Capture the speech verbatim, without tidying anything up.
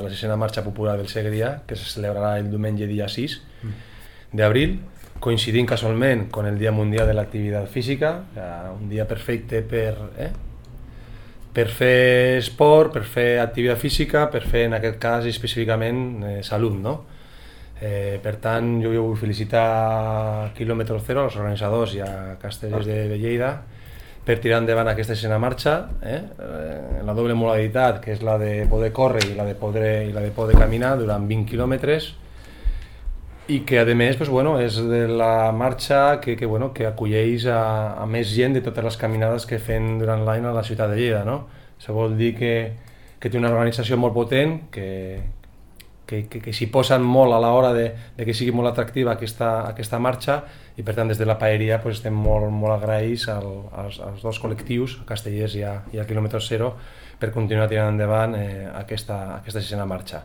la sisena marxa popular del Segrià, que se celebrarà el diumenge dia sis d'abril, coincidint casualment amb el Dia Mundial de l'Activitat Física, un dia perfecte per, eh? per fer esport, per fer activitat física, per fer en aquest cas específicament eh, salut, no? Eh, per tant, jo, jo vull felicitar a Kilòmetre Zero, als organitzadors i a Castellers de, de Lleida, per tirar endavant aquesta sisena marxa, eh? en la doble modalitat, que és la de poder córrer i la de poder, i la de poder caminar durant vint quilòmetres, i que a més pues, bueno, és de la marxa que, que, bueno, que acolleix a, a més gent de totes les caminades que fem durant l'any a la ciutat de Lleida, no? Això vol dir que, que té una organització molt potent, que, que, que, que s'hi posen molt a l'hora de, de que sigui molt atractiva aquesta, aquesta marxa, i per tant des de la paeria pues, estem molt, molt agraïts al, als, als dos col·lectius, a Castellers i a, i a Kilòmetre Zero, per continuar tirant endavant eh, aquesta, aquesta sisena marxa.